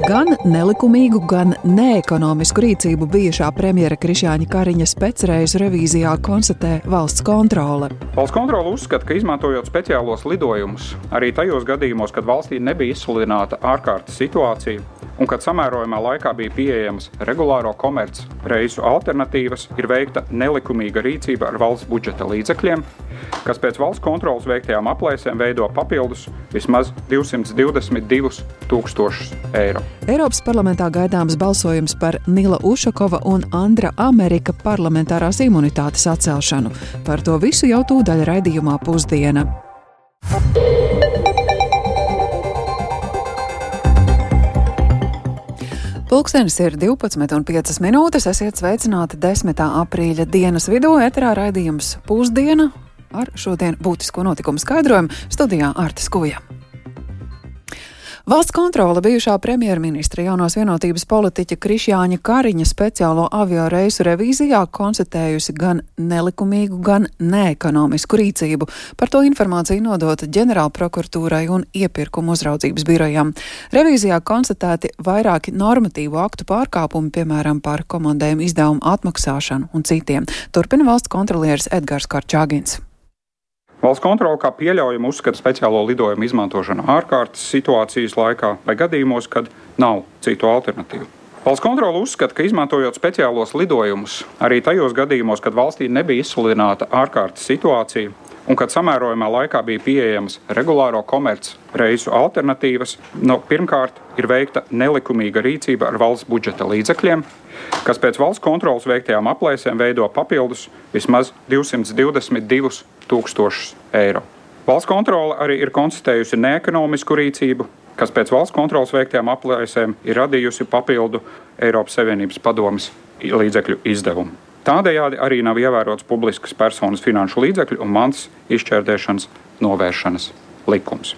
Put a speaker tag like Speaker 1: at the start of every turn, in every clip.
Speaker 1: Gan nelikumīgu, gan neekonomisku rīcību bijušā premjera Krišjāņa Kariņa specreizu revīzijā konstatē valsts kontrole.
Speaker 2: Valsts kontrole uzskata, ka izmantojot speciālos lidojumus, arī tajos gadījumos, kad valstī nebija izsludināta ārkārtas situācija un kad samērojamā laikā bija pieejamas regulāro komerc reisu alternatīvas, ir veikta nelikumīga rīcība ar valsts budžeta līdzekļiem, kas pēc valsts kontroles veiktajām aplēsēm veido papildus vismaz 222 000 eiro.
Speaker 1: Eiropas parlamentā gaidāms balsojums par Nila Ušakova un Andra Amerika parlamentārās imunitātes atcelšanu. Par to visu jau tūdaļ raidījumā Pusdiena. Pulkstenis ir 12:05 minūtes. Esiet sveicināti 10. aprīļa dienas vidū. Eterā raidījums Pusdiena ar šodien būtisko notikumu skaidrojumu. Studijā Arta Skuja. Valsts kontrole bijušā premjerministra jaunās vienotības politiķa Krišjāņa Kariņa speciālo avio reisu revīzijā konstatējusi gan nelikumīgu, gan neekonomisku rīcību. Par to informāciju nodota ģenerālprokuratūrai un iepirkuma uzraudzības birojām. Revīzijā konstatēti vairāki normatīvu aktu pārkāpumi, piemēram, par komandējumu izdevumu atmaksāšanu un citiem. Turpina valsts kontrolieris Edgars Korčagins.
Speaker 2: Valsts kontrole kā pieļaujumu uzskata speciālo lidojumu izmantošanu ārkārtas situācijas laikā vai gadījumos, kad nav citu alternatīvu. Valsts kontrole uzskata, ka izmantojot speciālos lidojumus, arī tajos gadījumos, kad valstī nebija izsludināta ārkārtas situācija un kad samērojamā laikā bija pieejamas regulāro komerc reisu alternatīvas, pirmkārt ir veikta nelikumīga rīcība ar valsts budžeta līdzekļiem, kas pēc valsts kontroles veiktajām aplēsēm veido papildus vismaz 222 000 eiro. Valsts kontrole arī ir konstatējusi neekonomisku rīcību, kas pēc valsts kontroles veiktajām aplēsēm ir radījusi papildu Eiropas Savienības padomes līdzekļu izdevumu. Tādējādi arī nav ievērots publiskas personas finanšu līdzekļu un mantas izšķērdēšanas novēršanas likums.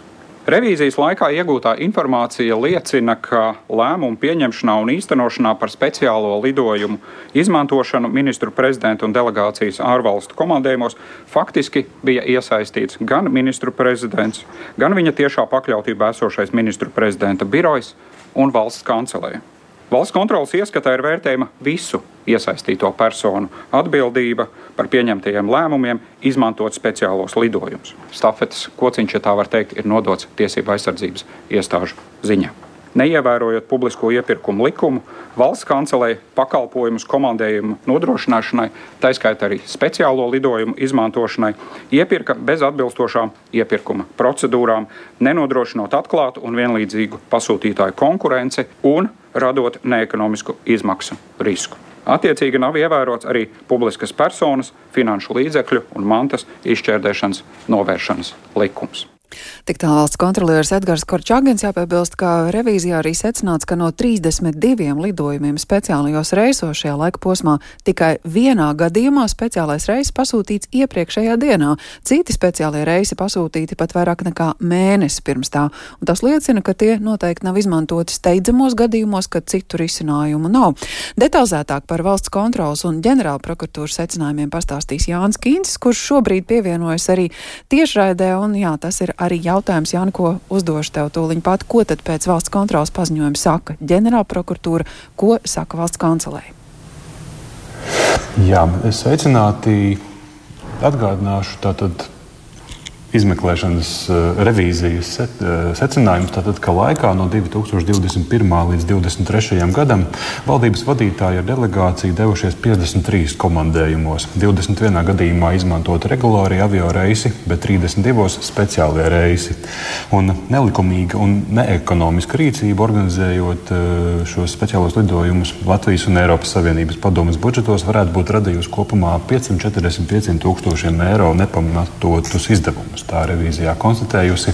Speaker 2: Revīzijas laikā iegūtā informācija liecina, ka lēmumu pieņemšanā un īstenošanā par speciālo lidojumu izmantošanu ministru prezidenta un delegācijas ārvalstu komandējumos faktiski bija iesaistīts gan ministru prezidents, gan viņa tiešā pakļautībā esošais ministru prezidenta birojs un valsts kancelēja. Valsts kontroles ieskatā ir vērtējama visu iesaistīto personu atbildība par pieņemtajiem lēmumiem izmantot speciālos lidojumus. Stafetes kociņš, ja tā var teikt, ir nodots tiesību aizsardzības iestāžu ziņā. Neievērojot publisko iepirkumu likumu, valsts kancelēja pakalpojumus komandējumu nodrošināšanai, tā skaitā arī speciālo lidojumu izmantošanai, iepirka bez atbilstošām iepirkuma procedūrām, nenodrošinot atklātu un vienlīdzīgu pasūtītāju konkurenci un radot neekonomisku izmaksu risku. Attiecīgi nav ievērots arī publiskas personas, finanšu līdzekļu un mantas izšķērdēšanas novēršanas likums.
Speaker 1: Tik tā valsts kontrolieris Edgars Korčagins. Jāpiebilst, ka revīzijā arī secināts, ka no 32 lidojumiem speciālajos reisos šajā laika posmā tikai vienā gadījumā speciālais reiss pasūtīts iepriekšējā dienā. Citi speciālie reisi pasūtīti pat vairāk nekā mēnesi pirms tā. Un tas liecina, ka tie noteikti nav izmantoti steidzamos gadījumos, kad citu risinājumu nav. Detalizētāk par valsts kontrolas un ģenerālprokuratūras secinājumiem pastāstīs Jānis Kīncis, kurš šobrīd pievienojas arī tiešraidē. Un jā, tas ir arī jautājums, Jāni, ko uzdošu tev tūliņ pat. Ko tad pēc valsts kontrolas paziņojuma saka ģenerālprokuratūra, ko saka valsts kancelēja?
Speaker 3: Jā, es sveicināti. Atgādināšu tātad izmeklēšanas revīzijas secinājumus, tātad, ka laikā no 2021. līdz 2023. gadam valdības vadītāji ar delegāciju devušies 53 komandējumos. 21 gadījumā izmantot regulāri avio reisi, bet 32 speciālie reisi. Un nelikumīga un neekonomiska rīcība organizējot šos speciālos lidojumus Latvijas un Eiropas Savienības padomes budžetos varētu būt radījusi kopumā 545 000 eiro nepamatotus izdevumus. Tā revīzijā konstatējusi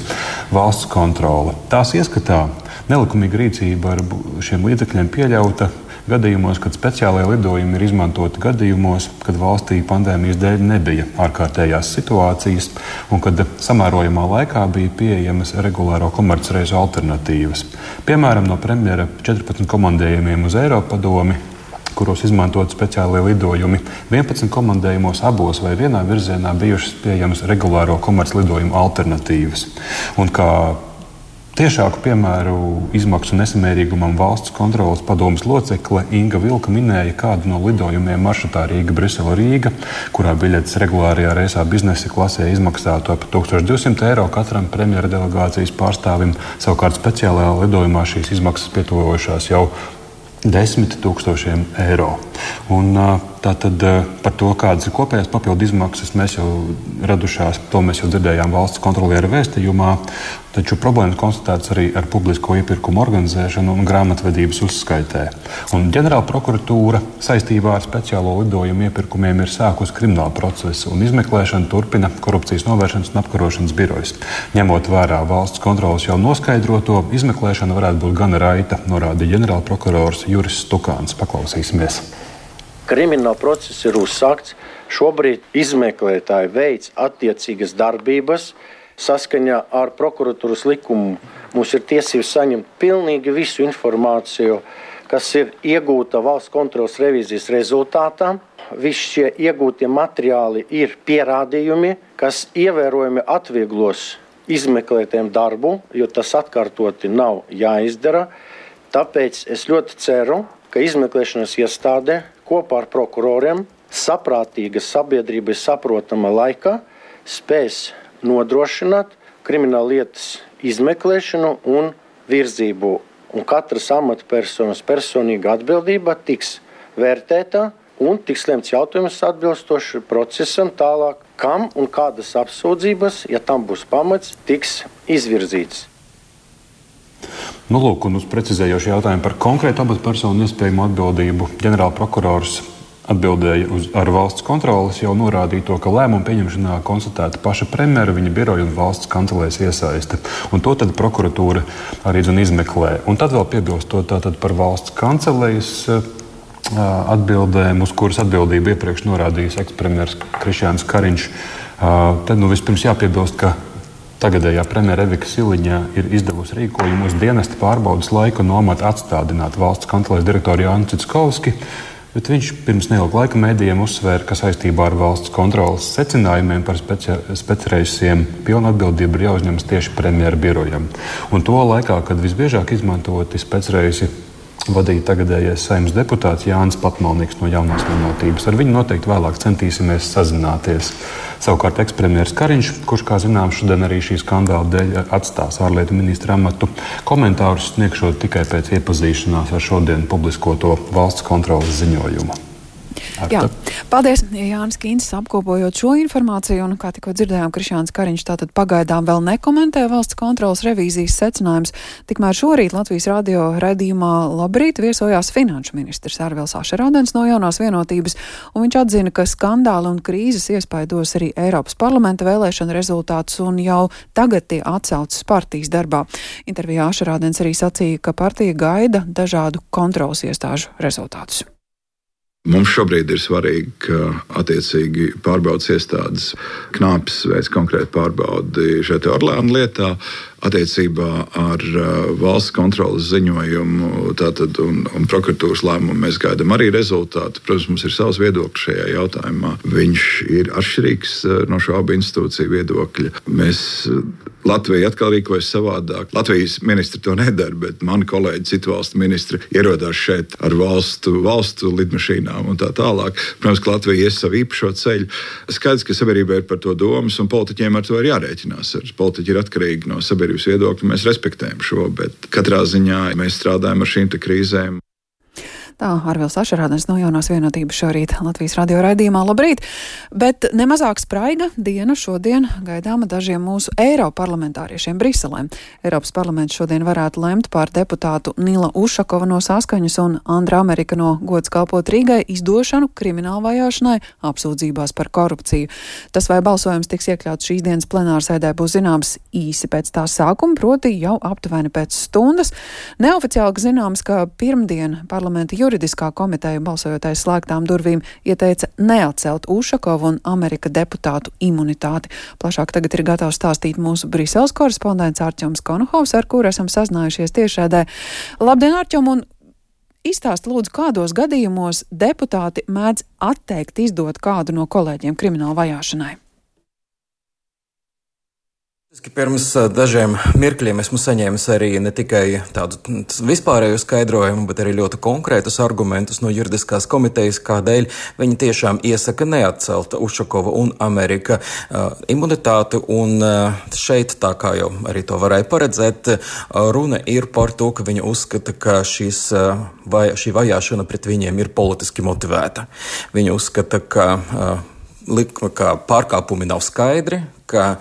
Speaker 3: valsts kontrole. Tās ieskatā nelikumīga rīcība ar šiem līdzekļiem pieļauta gadījumos, kad speciālajie lidojumi ir izmantoti gadījumos, kad valstī pandēmijas dēļ nebija ārkārtējās situācijas un kad samērojamā laikā bija pieejamas regulāro komercreisu alternatīvas. Piemēram, no premjera 14 komandējumiem uz Eiropadomi, kuros izmantot speciālie lidojumi. 11 komandējumos abos vai vienā virzienā bijušas pieejamas regulāro komerclidojumu alternatīvas. Un kā Tiešāku piemēru izmaksu nesamērīgumam valsts kontroles padomes locekle Inga Vilka minēja kādu no lidojumiem maršrutā Rīga-Brisele-Rīga, kurā biļetes regulārajā reisā biznesa klasē izmaksātu ap 1200 eiro katram premjera delegācijas pārstāvim. Savukārt speciālajā lidojumā šīs izmaksas pietuvojušās jau 10 000 eiro. Un, tātad par to, kādas ir kopējās papildu izmaksas, mēs jau radušās, to mēs jau dzirdējām valsts kontroliera vēstījumā, taču problēmas konstatētas arī ar publisko iepirkumu organizēšanu un grāmatvedības uzskaitē. Un ģenerāla prokuratūra saistībā ar speciālo lidojumu iepirkumiem ir sākusi kriminālu procesu un izmeklēšanu turpina Korupcijas novēršanas un apkarošanas birojas. Ņemot vērā valsts kontroles jau noskaidroto, izmeklēšana varētu būt gana raita, norādīja ģenerāla prokurors Juris Stukāns. Paklausīsimies.
Speaker 4: Krimināla process ir uzsākts. Šobrīd izmeklētāji veic attiecīgas darbības. Saskaņā ar prokuratūras likumu mums ir tiesības saņemt pilnīgi visu informāciju, kas ir iegūta valsts kontroles revīzijas rezultātā. Visi šie iegūtie materiāli ir pierādījumi, kas ievērojami atvieglos izmeklētājiem darbu, jo tas atkārtoti nav jāizdara. Tāpēc es ļoti ceru, ka izmeklēšanas iestāde kopā ar prokuroriem saprātīga sabiedrībai saprotama laikā spēs nodrošināt krimināla lietas izmeklēšanu un virzību. Un katras amatpersonas personīga atbildība tiks vērtēta un tiks lemts jautājums atbilstoši procesam tālāk, kam un kādas apsūdzības, ja tam būs pamats, tiks izvirzīts.
Speaker 3: Nu, lūk, un uz precizējošu jautājumu par konkrētu amatpersonu iespējamu atbildību ģenerāla prokurors atbildēja ar valsts kontroles, jau norādīja to, ka lēmumu pieņemšanā konstatēta paša premjera, viņa biroja un valsts kancelēs iesaiste. Un to tad prokuratūra arī izmeklē. Un tad vēl piebilstot tātad par valsts kancelējas atbildēm, uz kuras atbildību iepriekš norādījis ekspremjers Krišjāns Kariņš. Tad vispirms jāpiebilst, ka tagadējā premjera Evika Siliņa ir izdevusi rīkojumu uz dienesta pārbaudas laiku no amata atstādināt valsts kancelēs direktoru Jānu Citskovski, bet viņš pirms neilga laika mēdījiem uzsvēra, ka saistībā ar valsts kontroles secinājumiem par specreisiem pilna atbildība ir jāuzņemas tieši premjera birojam. Un to laikā, kad visbiežāk izmantoti specreisi vadīja tagadējais Saeimas deputāts Jānis Patmalnieks no Jaunās Vienotības. Ar viņu noteikti vēlāk centīsimies sazināties. Savukārt ekspremjers Kariņš, kurš, kā zināms, šodien arī šī skandāla dēļ atstās ārlietu ministra amatu, komentārus sniegšot tikai pēc iepazīšanās ar šodien publiskoto valsts kontroles ziņojumu.
Speaker 1: Jā, paldies, Jānis Kīncis, apkopojot šo informāciju, un, kā tikko dzirdējām, Krišjāns Kariņš tātad pagaidām vēl nekomentē valsts kontroles revīzijas secinājums. Tikmēr šorīt Latvijas radio raidījumā Labrīt viesojās finanšu ministrs Arvils Ašerādens no Jaunās Vienotības, un viņš atzina, ka skandāli un krīzes iespaidos arī Eiropas parlamenta vēlēšana rezultātus, un jau tagad tie atsaucas partijas darbā. Intervijā Ašerādens arī sacīja, ka partija gaida dažādu kontroles iestāžu rezultātus.
Speaker 5: Mums šobrīd ir svarīgi, ka attiecīgi pārbaudas iestādes Knāpis veids konkrēti pārbaudi šeit Orleāna lietā. Attiecībā ar valsts kontroles ziņojumu tātad, un prokuratūras lēmumu mēs gaidām arī rezultātu. Protams, mums ir savs viedoklis šajā jautājumā. Viņš ir atšķirīgs no šo abu institūciju viedokļa. Latvija atkal rīkojas savādāk. Latvijas ministri to nedara, bet mani kolēģi, citu valstu ministri ierodās šeit ar valstu lidmašīnām un tā tālāk. Protams, ka Latvija ies savu īpašo ceļu. Skaidrs, ka sabiedrībai ir par to domas, un politiķiem ar to ir jārēķinās. Politiķi ir atkarīgi no sabiedrības viedokļu, mēs respektējam šo, bet katrā ziņā mēs strādājam ar šīm krīzēm.
Speaker 1: Tā Arvils Ašerādens no Jaunās Vienotības šorīt Latvijas radio raidījumā Labrīt. Bet nemazāk spraiga diena šodien gaidāma dažiem mūsu eiroparlamentāriešiem Briselē. Eiropas parlaments šodien varētu lemt par deputātu Nila Ušakova no Saskaņas un Andra Amerika no Gods kalpot Rīgai izdošanu krimināla vajāšanai apsūdzībās par korupciju. Tas, vai balsojums tiks iekļauts šīs dienas plenārsēdē, būs zināms īsi pēc tā sākuma, proti jau aptuveni pēc stundas. Neoficiāli zināms, ka pirmdien parlamenta juridiskā komiteja balsojot aiz slēgtām durvīm ieteica neatcelt Ušakovu un Amerika deputātu imunitāti. Plašāk tagad ir gatavs stāstīt mūsu Briseles korespondents Arķoms Konohovs, ar kuru esam sazinājušies tiešraidē. Labdien, Arķom, un izstāst lūdzu, kādos gadījumos deputāti mēdz atteikt izdot kādu no kolēģiem krimināla vajāšanai?
Speaker 6: Pirms dažiem mirkļiem esmu saņēmis arī ne tikai tādu vispārēju skaidrojumu, bet arī ļoti konkrētus argumentus no juridiskās komitejas, kādēļ viņi tiešām iesaka neatcelt Ušakova un Amerika imunitāti. Un šeit, tā kā jau arī to varēja paredzēt, runa ir par to, ka viņi uzskata, ka šī vajāšana pret viņiem ir politiski motivēta. Viņi uzskata, ka pārkāpumi nav skaidri, ka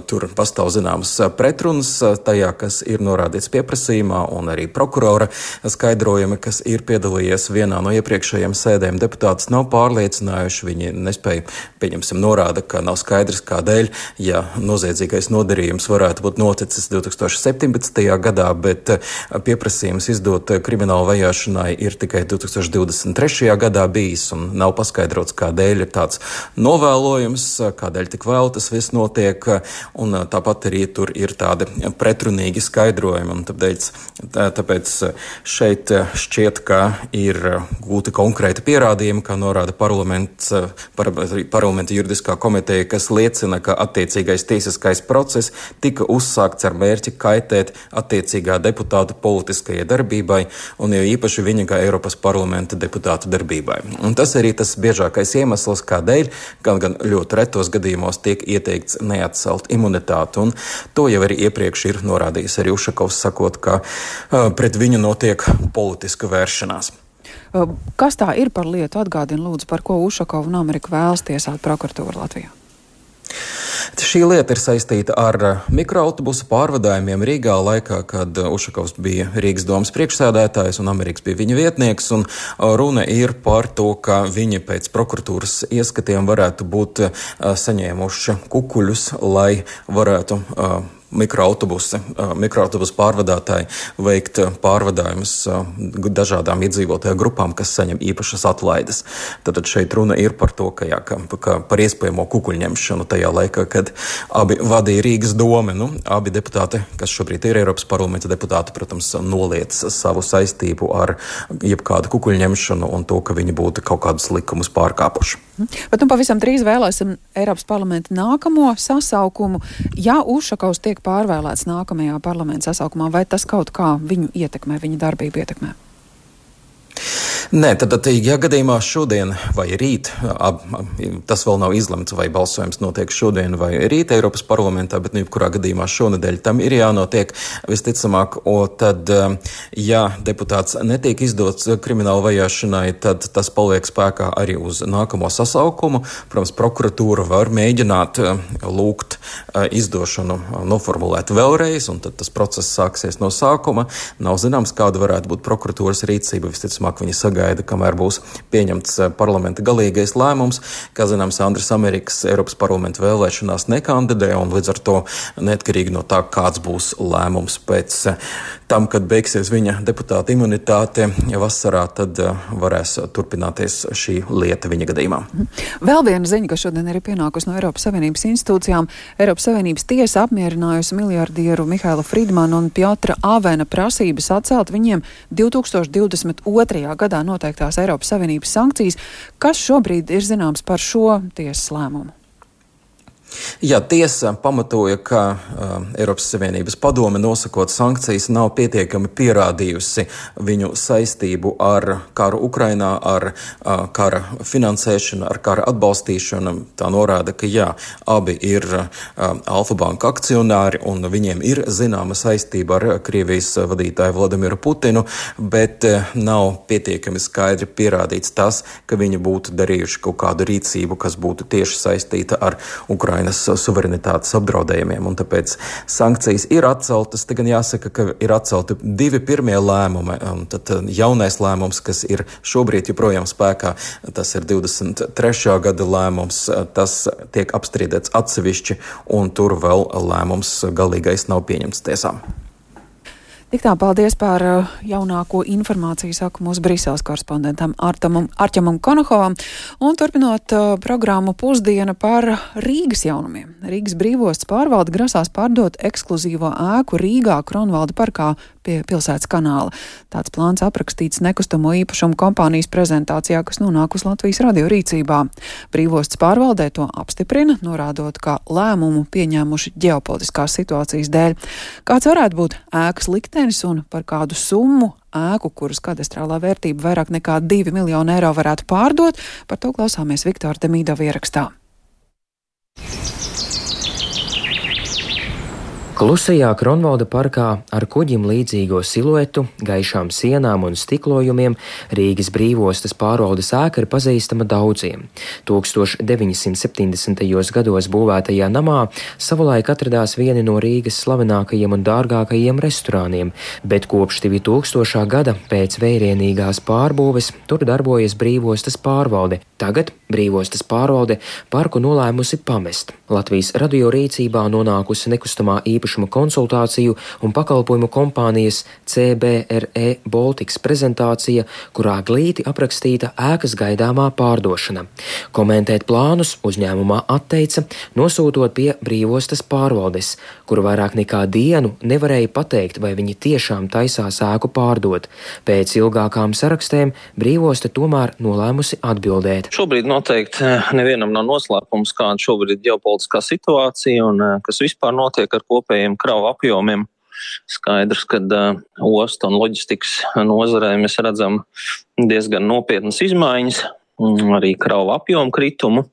Speaker 6: tur pastāv zināmas pretrunas tajā, kas ir norādīts pieprasījumā, un arī prokurora skaidrojumi, kas ir piedalījies vienā no iepriekšējiem sēdēm. Deputātus nav pārliecinājuši, viņi nespēja, pieņemsim, norāda, ka nav skaidrs, kādēļ, ja noziedzīgais nodarījums varētu būt noticis 2017. gadā, bet pieprasījums izdot kriminālu vajāšanai ir tikai 2023. gadā bijis, un nav paskaidrots, kādēļ ir tāds novēlojums, kādēļ tik vēl tas viss notiek, un tāpat arī tur ir tādi pretrunīgi skaidrojumi, un tāpēc šeit šķiet, ka ir gūti konkrēti pierādījumi, kā norāda parlamenta juridiskā komiteja, kas liecina, ka attiecīgais tiesiskais process tika uzsākts ar mērķi kaitēt attiecīgā deputāta politiskajai darbībai, un jo īpaši viņa kā Eiropas parlamenta deputāta darbībai. Un tas arī tas biežākais iemesls, kādēļ gan ļoti retos gadījumos tiek ieteikts neatcelt imunitāti, un to jau arī iepriekš ir norādījis arī Ušakovs, sakot, ka pret viņu notiek politiska vēršanās.
Speaker 1: Kas tā ir par lietu? Atgādina lūdzu, par ko Ušakovu un Ameriku vēlas tiesāt prokuratūru Latvijā.
Speaker 6: Šī lieta ir saistīta ar mikroautobusu pārvadājumiem Rīgā laikā, kad Ušakovs bija Rīgas domas priekšsēdētājs un Amerikas bija viņa vietnieks, un runa ir par to, ka viņi pēc prokuratūras ieskatiem varētu būt saņēmuši kukuļus, lai varētu mikroautobusu pārvadātāji veikt pārvadājumus dažādām iedzīvotāju grupām, kas saņem īpašas atlaides. Tad šeit runa ir par to, ka par iespējamo kukuļņemšanu tajā laikā, kad abi vadīja Rīgas domi. Abi deputāti, kas šobrīd ir Eiropas parlamenta deputāti, protams, noliec savu saistību ar jebkādu kukuļņemšanu un to, ka viņi būtu kaut kādus likumus pārkāpuši.
Speaker 1: Bet pavisam drīz vēlēsim Eiropas parlamenta nākamo sasaukumu. Ja Ušakovs tiek pārvēlēts nākamajā parlamenta sasaukumā, vai tas kaut kā viņu ietekmē, viņa darbību ietekmē?
Speaker 6: Nē, tad, ja gadījumā šodien vai rīt, tas vēl nav izlemts, vai balsojums notiek šodien vai rīt Eiropas parlamentā, bet jebkurā gadījumā šonedēļ tam ir jānotiek visticamāk, tad, ja deputāts netiek izdots kriminālu vajāšanai, tad tas paliek spēkā arī uz nākamo sasaukumu. Protams, prokuratūra var mēģināt lūgt izdošanu noformulēt vēlreiz, un tad tas process sāksies no sākuma. Nav zināms, kāda varētu būt prokuratūras rīcība, visticamāk viņi sagaida, kamēr būs pieņemts parlamenta galīgais lēmums. Kā zināms, Andris Amerikas Eiropas parlamenta vēlēšanās nekandidē, un līdz ar to neatkarīgi no tā, kāds būs lēmums pēc tam, kad beigsies viņa deputāta imunitāte vasarā, tad varēs turpināties šī lieta viņa gadījumā.
Speaker 1: Vēl viena ziņa, kas šodien ir pienākusi no Eiropas Savienības institūcijām. Eiropas Savienības tiesa apmierinājusi miljardieru Mihaila Fridmana un Pjotra Avena prasības atcelt viņiem 2022. gadā noteiktās Eiropas Savienības sankcijas. Kas šobrīd ir zināms par šo tiesas lēmumu?
Speaker 6: Jā, tiesa pamatoja, ka Eiropas Savienības padome nosakot sankcijas nav pietiekami pierādījusi viņu saistību ar karu Ukrainā, ar kara finansēšanu, ar kara atbalstīšanu. Tā norāda, ka jā, abi ir Alfa Banka akcionāri un viņiem ir zināma saistība ar Krievijas vadītāju Vladimiru Putinu, bet nav pietiekami skaidri pierādīts tas, ka viņi būtu darījuši kaut kādu rīcību, kas būtu tieši saistīta ar Ukrainas suverenitātes apdraudējumiem, un tāpēc sankcijas ir atceltas. Te gan jāsaka, ka ir atcelti divi pirmie lēmumi, un tad jaunais lēmums, kas ir šobrīd joprojām spēkā, tas ir 23. gada lēmums, tas tiek apstrīdēts atsevišķi, un tur vēl lēmums galīgais nav pieņemts tiesām.
Speaker 1: Tik tā, paldies par jaunāko informāciju, saku mūsu Briseles korespondentam Arķemam Konohovam. Un turpinot programmu Pusdiena par Rīgas jaunumiem. Rīgas brīvosts pārvalde grasās pārdot ekskluzīvo ēku Rīgā Kronvalda parkā pie pilsētas kanāla. Tāds plāns aprakstīts nekustamo īpašumu kompānijas prezentācijā, kas nonākus Latvijas radio rīcībā. Brīvostas pārvaldē to apstiprina, norādot, ka lēmumu pieņēmuši ģeopolitiskās situācijas dēļ. Kāds varētu būt ēkas liktenis un par kādu summu ēku, kuras kadastrālā vērtība vairāk nekā 2 miljoni eiro varētu pārdot, par to klausāmies Viktora Demidova ierakstā.
Speaker 7: Klusajā Kronvalda parkā ar kuģim līdzīgo siluetu, gaišām sienām un stiklojumiem Rīgas brīvostas pārvaldes ēka ir pazīstama daudziem. 1970. gados būvētajā namā savulaik atradās vieni no Rīgas slavenākajiem un dārgākajiem restorāniem, bet kopš 2000. gada pēc vērienīgās pārbūves tur darbojas brīvostas pārvalde. Tagad brīvostas pārvalde parku nolēmusi pamest. Latvijas radio rīcībā nonākusi nekustamā īpašuma konsultāciju un pakalpojumu kompānijas CBRE Baltics prezentācija, kurā glīti aprakstīta ēkas gaidāmā pārdošana. Komentēt plānus uzņēmumā atteica, nosūtot pie brīvostas pārvaldes, kuru vairāk nekā dienu nevarēja pateikt, vai viņi tiešām taisās ēku pārdot. Pēc ilgākām sarakstēm brīvosta tomēr nolēmusi atbildēt.
Speaker 8: Šobrīd noteikti nevienam nav noslēpums, kāda šobrīd ir ģeopolitiskā situācija un kas vispār notiek ar kopējiem kravu apjomiem. Skaidrs, ka ostu un loģistikas nozarē mēs redzam diezgan nopietnas izmaiņas, arī kravu apjomu kritumu.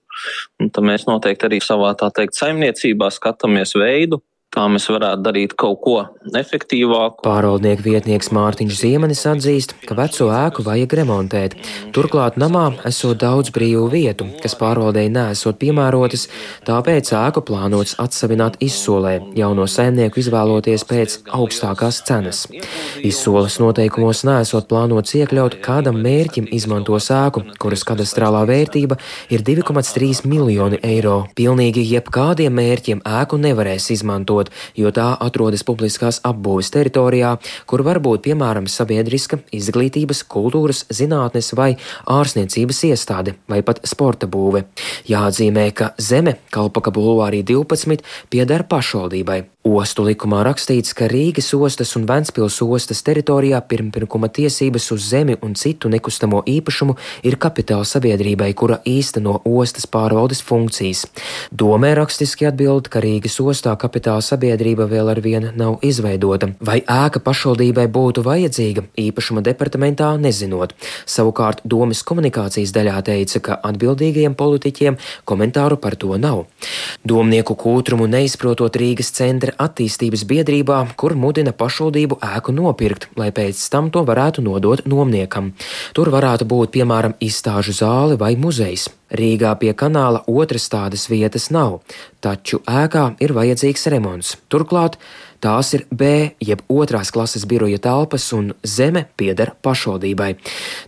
Speaker 8: Un tad mēs noteikti arī savā, tā teikt, saimniecībā skatāmies veidu, kā mēs varētu darīt kaut ko efektīvāku.
Speaker 7: Pārvaldnieku vietnieks Mārtiņš Ziemenis atzīst, ka veco ēku vajag remontēt. Turklāt namā esot daudz brīvu vietu, kas pārvaldēji neesot piemērotas, tāpēc ēku plānots atsavināt izsolē, jauno saimnieku izvēloties pēc augstākās cenas. Izsoles noteikumos neesot plānots iekļaut, kādam mērķim izmantos ēku, kuras kadastrālā vērtība ir 2,3 miljoni eiro. Pilnīgi jebkādiem mērķiem ēku nevarēs izmantot, jo tā atrodas publiskās apbūves teritorijā, kur var būt, piemēram, sabiedriska, izglītības, kultūras, zinātnes vai ārstniecības iestāde, vai pat sporta būve. Jāatzīmē, ka zeme Kalpaka bulvārī 12 pieder pašvaldībai. Ostu likumā rakstīts, ka Rīgas ostas un Ventspils ostas teritorijā pirmpirkuma tiesības uz zemi un citu nekustamo īpašumu ir kapitāla sabiedrībai, kura īsteno ostas pārvaldes funkcijas. Domē rakstiski atbild, ka Rīgas ostā kapitāla sabiedrība vēl ar vienu nav izveidota. Vai ēka pašvaldībai būtu vajadzīga, īpašuma departamentā nezinot. Savukārt domes komunikācijas daļā teica, ka atbildīgajiem politiķiem komentāru par to nav. Domnieku kūtrumu neizprotot Rīgas centra attīstības biedrībā, kur mudina pašvaldību ēku nopirkt, lai pēc tam to varētu nodot nomniekam. Tur varētu būt, piemēram, izstāžu zāle vai muzejs. Rīgā pie kanāla otras tādas vietas nav, taču ēkā ir vajadzīgs remonts. Turklāt tās ir B, jeb otrās klases biroja telpas, un zeme pieder pašvaldībai.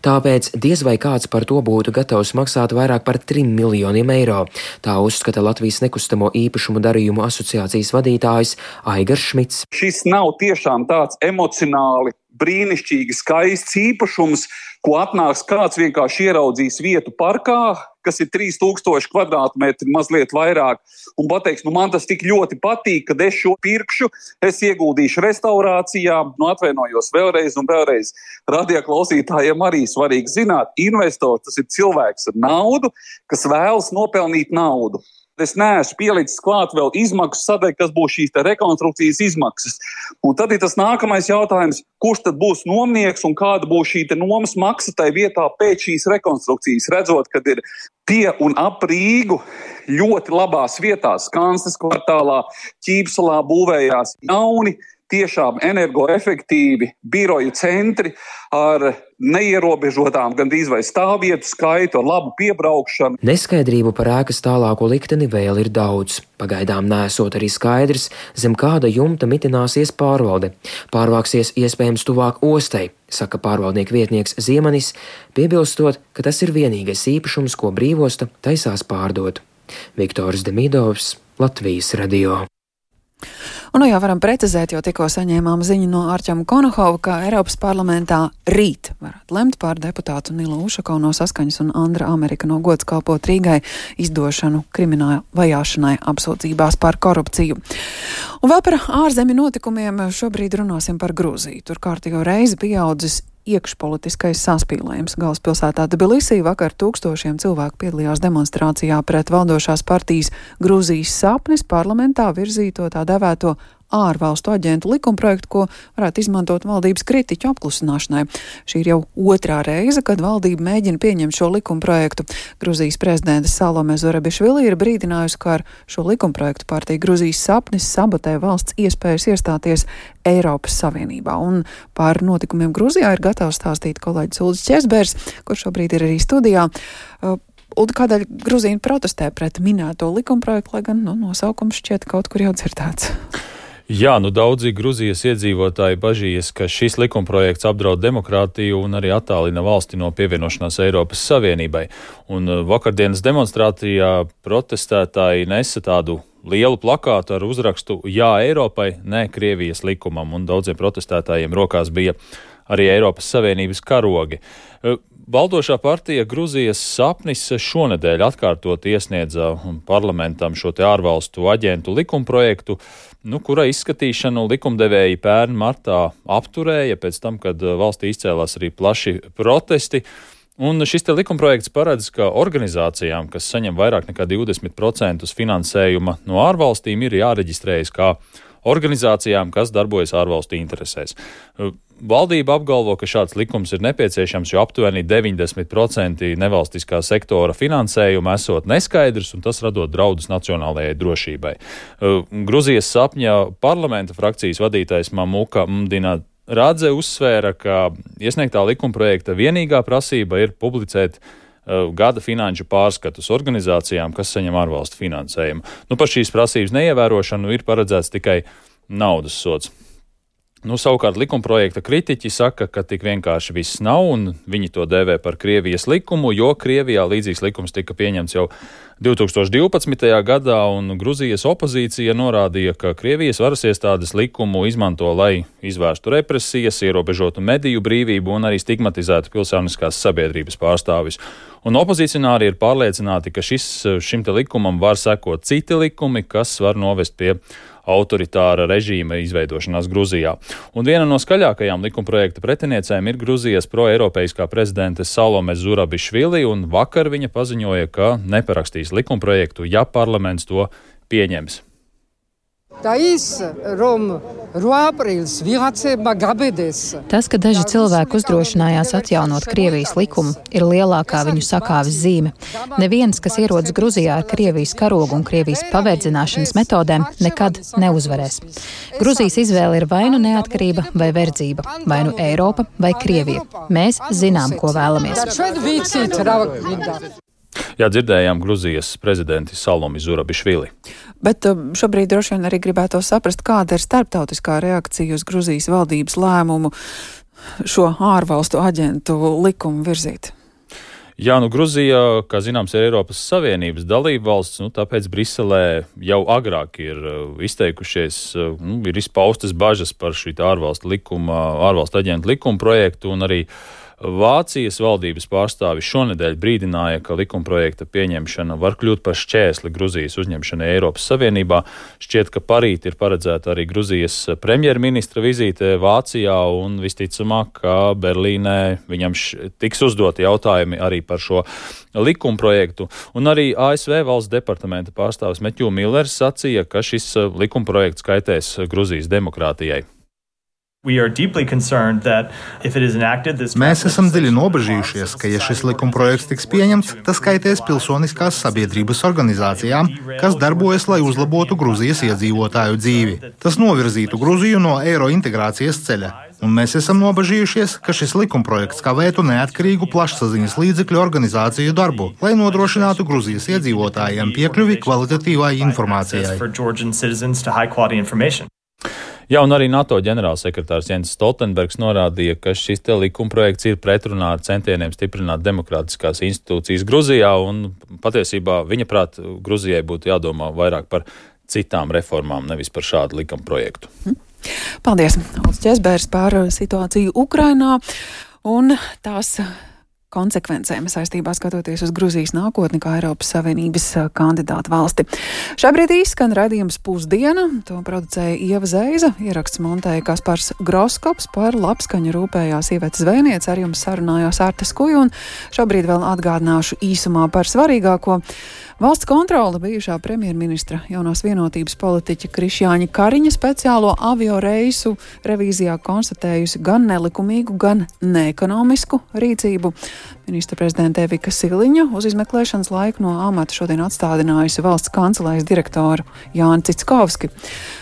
Speaker 7: Tāpēc diez vai kāds par to būtu gatavs maksāt vairāk par 3 miljoniem eiro. Tā uzskata Latvijas nekustamo īpašumu darījumu asociācijas vadītājs Aigars Šmits.
Speaker 9: Šis nav tiešām tāds emocionāli brīnišķīgi skaists īpašums, ko atnāks kāds vienkārši ieraudzīs vietu parkā, kas ir 3000 kvadrātmetri, mazliet vairāk, un pateiks, man tas tik ļoti patīk, kad es šo pirkšu, es ieguldīšu restaurācijā, atvainojos vēlreiz un vēlreiz. Radioklausītājiem arī svarīgi zināt, investors tas ir cilvēks ar naudu, kas vēlas nopelnīt naudu. Es neesmu pielicis klāt vēl izmaksu sadaļu, kas būs šīs rekonstrukcijas izmaksas. Un tad ir tas nākamais jautājums, kurš tad būs nomnieks un kāda būs šī nomas maksa tai vietā pēc šīs rekonstrukcijas, redzot, kad ir pie un ap Rīgu ļoti labās vietās, Kansnes kvartālā, Ķīpsalā būvējās jauni, tiešām energoefektīvi biroju centri ar neierobežotām gandrīz vai stāvvietu skaitu, ar labu piebraukšanu.
Speaker 7: Neskaidrību par ēkas tālāko likteni vēl ir daudz. Pagaidām nesot arī skaidrs, zem kāda jumta mitināsies pārvalde. Pārvāksies iespējams tuvāk ostai, saka pārvaldnieku vietnieks Ziemenis, piebilstot, ka tas ir vienīgais īpašums, ko brīvosta taisās pārdot. Viktors Demidovs, Latvijas radio.
Speaker 1: Un jau varam precizēt, jo tikko saņēmām ziņu no Arķama Konohova, ka Eiropas parlamentā rīt varētu lemt par deputātu Nilu Ušakovu no Saskaņas un Andra Amerika no Gods kalpot Rīgai izdošanu krimināla vajāšanai apsūdzībās par korupciju. Un vēl par ārzemju notikumiem šobrīd runāsim par Grūziju. Tur kārtīgo reizi pieaudzis iekšpolitiskais saspīlējums. Galvaspilsētā Tbilisī vakar tūkstošiem cilvēku piedalījās demonstrācijā pret valdošās partijas Grūzijas sapnis parlamentā virzīto tā devēto ārvalstu aģentu likumprojektu, ko varētu izmantot valdības kritiķu apklusināšanai. Šī ir jau otrā reize, kad valdība mēģina pieņemt šo likumprojektu. Gruzijas prezidente Salome Zurabišvili ir brīdinājusi, ka ar šo likumprojektu partija Gruzijas sapnis sabotē valsts iespējas iestāties Eiropas Savienībā. Un par notikumiem Gruzijā ir gatavs stāstīt kolēģis Uldis Česbērs, kurš šobrīd ir arī studijā. Uldi, kādēļ Gruzija protestē pret minēto likumprojektu, lai gan nosaukums šķiet kaut kur jau dzirdēts?
Speaker 10: Jā, daudzi Gruzijas iedzīvotāji bažījas, ka šis likumprojekts apdraud demokrātiju un arī attālina valsti no pievienošanās Eiropas Savienībai. Un vakardienas demonstrācijā protestētāji nesa tādu lielu plakātu ar uzrakstu Jā Eiropai, ne Krievijas likumam, un daudziem protestētājiem rokās bija arī Eiropas Savienības karogi. Valdošā partija Gruzijas sapnis šonedēļ atkārtot iesniedza parlamentam šo te ārvalstu aģentu likumprojektu, kura izskatīšanu likumdevēji pērn martā apturēja pēc tam, kad valstī izcēlās arī plaši protesti. Un šis te likumprojekts paredz, ka organizācijām, kas saņem vairāk nekā 20% finansējuma no ārvalstīm, ir jāreģistrējas kā organizācijām, kas darbojas ārvalstu interesēs. Valdība apgalvo, ka šāds likums ir nepieciešams, jo aptuveni 90% nevalstiskā sektora finansējuma esot neskaidrs, un tas radot draudus nacionālajai drošībai. Gruzijas sapņa parlamenta frakcijas vadītājs Mamuka Mdina Radze uzsvēra, ka iesniegtā likumprojekta vienīgā prasība ir publicēt gada finanšu pārskatus organizācijām, kas saņem ārvalstu finansējumu. Par šīs prasības neievērošanu ir paredzēts tikai naudas sods. Savukārt likumprojekta kritiķi saka, ka tik vienkārši viss nav, un viņi to dēvē par Krievijas likumu, jo Krievijā līdzīgs likums tika pieņemts jau 2012. gadā, un Gruzijas opozīcija norādīja, ka Krievijas varas iestādes likumu izmanto, lai izvērstu represijas, ierobežotu mediju brīvību un arī stigmatizētu pilsoniskās sabiedrības pārstāvis. Un opozicionāri ir pārliecināti, ka šim te likumam var sekot citi likumi, kas var novest pie autoritāra režīma izveidošanās Gruzijā. Un viena no skaļākajām likumprojekta pretiniecēm ir Gruzijas proeiropeiskā prezidente Salome Zurabišvili, un vakar viņa paziņoja, ka neparakstīs likumprojektu, ja parlaments to pieņems.
Speaker 11: Tas, ka daži cilvēki uzdrošinājās atjaunot Krievijas likumu, ir lielākā viņu sakāves zīme. Neviens, kas ierodas Gruzijā ar Krievijas karogu un Krievijas paverdzināšanas metodēm, nekad neuzvarēs. Gruzijas izvēle ir vai nu neatkarība vai verdzība, vai nu Eiropa vai Krievija. Mēs zinām, ko vēlamies.
Speaker 10: Jā, dzirdējām Gruzijas prezidenti Salomi Zurabišvili.
Speaker 1: Bet šobrīd droši vien arī gribētu saprast, kāda ir starptautiskā reakcija uz Gruzijas valdības lēmumu šo ārvalstu aģentu likumu virzīt.
Speaker 10: Jā, Gruzija, kā zināms, ir Eiropas Savienības dalība valsts, tāpēc Briselē jau agrāk ir izteikušies, ir izpaustas bažas par šī ārvalstu aģentu likuma projektu, un arī Vācijas valdības pārstāvi šonedēļ brīdināja, ka likumprojekta pieņemšana var kļūt par šķēsli Gruzijas uzņemšanai Eiropas Savienībā. Šķiet, ka parīt ir paredzēta arī Gruzijas premjerministra vizīte Vācijā, un visticamāk, ka Berlīnē viņam tiks uzdoti jautājumi arī par šo likumprojektu. Un arī ASV valsts departamenta pārstāvis Matthew Millers sacīja, ka šis likumprojekts kaitēs Gruzijas demokrātijai.
Speaker 12: Mēs esam dziļi nobežījušies, ka, ja šis likumprojekts tiks pieņemts, tas kaitēs pilsoniskās sabiedrības organizācijām, kas darbojas, lai uzlabotu Gruzijas iedzīvotāju dzīvi. Tas novirzītu Gruziju no eirointegrācijas ceļa. Un mēs esam nobežījušies, ka šis likumprojekts kavētu neatkarīgu plašsaziņas līdzekļu organizāciju darbu, lai nodrošinātu Gruzijas iedzīvotājiem piekļuvi kvalitatīvai informācijai.
Speaker 10: Jā, un arī NATO ģenerālsekretārs Jens Stoltenbergs norādīja, ka šis te likumprojekts ir pretrunā ar centieniem stiprināt demokrātiskās institūcijas Gruzijā, un patiesībā viņa prāt Gruzijai būtu jādomā vairāk par citām reformām, nevis par šādu likuma projektu.
Speaker 1: Paldies, Ulris Česbergs, par situāciju Ukrainā un tās konsekvencēm saistībā skatoties uz Gruzijas nākotni kā Eiropas Savienības kandidātu valsti. Šobrīd izskan raidījums Pusdiena, to producēja Ieva Zeiza, ieraksts montēja Kaspars Groskops, par labskaņu rūpējās Iveta Zvejniece, ar jums sarunājās Artes Kuju, un šobrīd vēl atgādināšu īsumā par svarīgāko. Valsts kontrole bijušā premjerministra jaunās vienotības politiķa Krišjāņa Kariņa speciālo avio reisu revīzijā konstatējusi gan nelikumīgu, gan neekonomisku rīcību. Ministra prezidente Vika Siliņa uz izmeklēšanas laiku no amata šodien atstādinājusi valsts kancelējas direktoru Jāni Cickovski.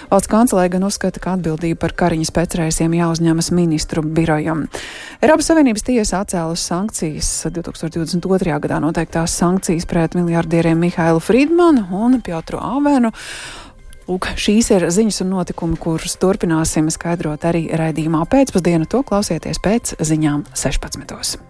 Speaker 1: Valsts kancelēja gan uzskata, ka atbildība par Kariņas pēcreisiem jāuzņemas ministru birojam. Eiropas Savienības tiesa atcēlus sankcijas 2022. gadā noteiktās sankcijas pret miljardieriem Mihailu Friedmanu un Piotru Avenu. Lūk, šīs ir ziņas un notikumi, kurus turpināsim skaidrot arī raidījumā Pēcpusdiena. To klausieties pēc ziņām 16.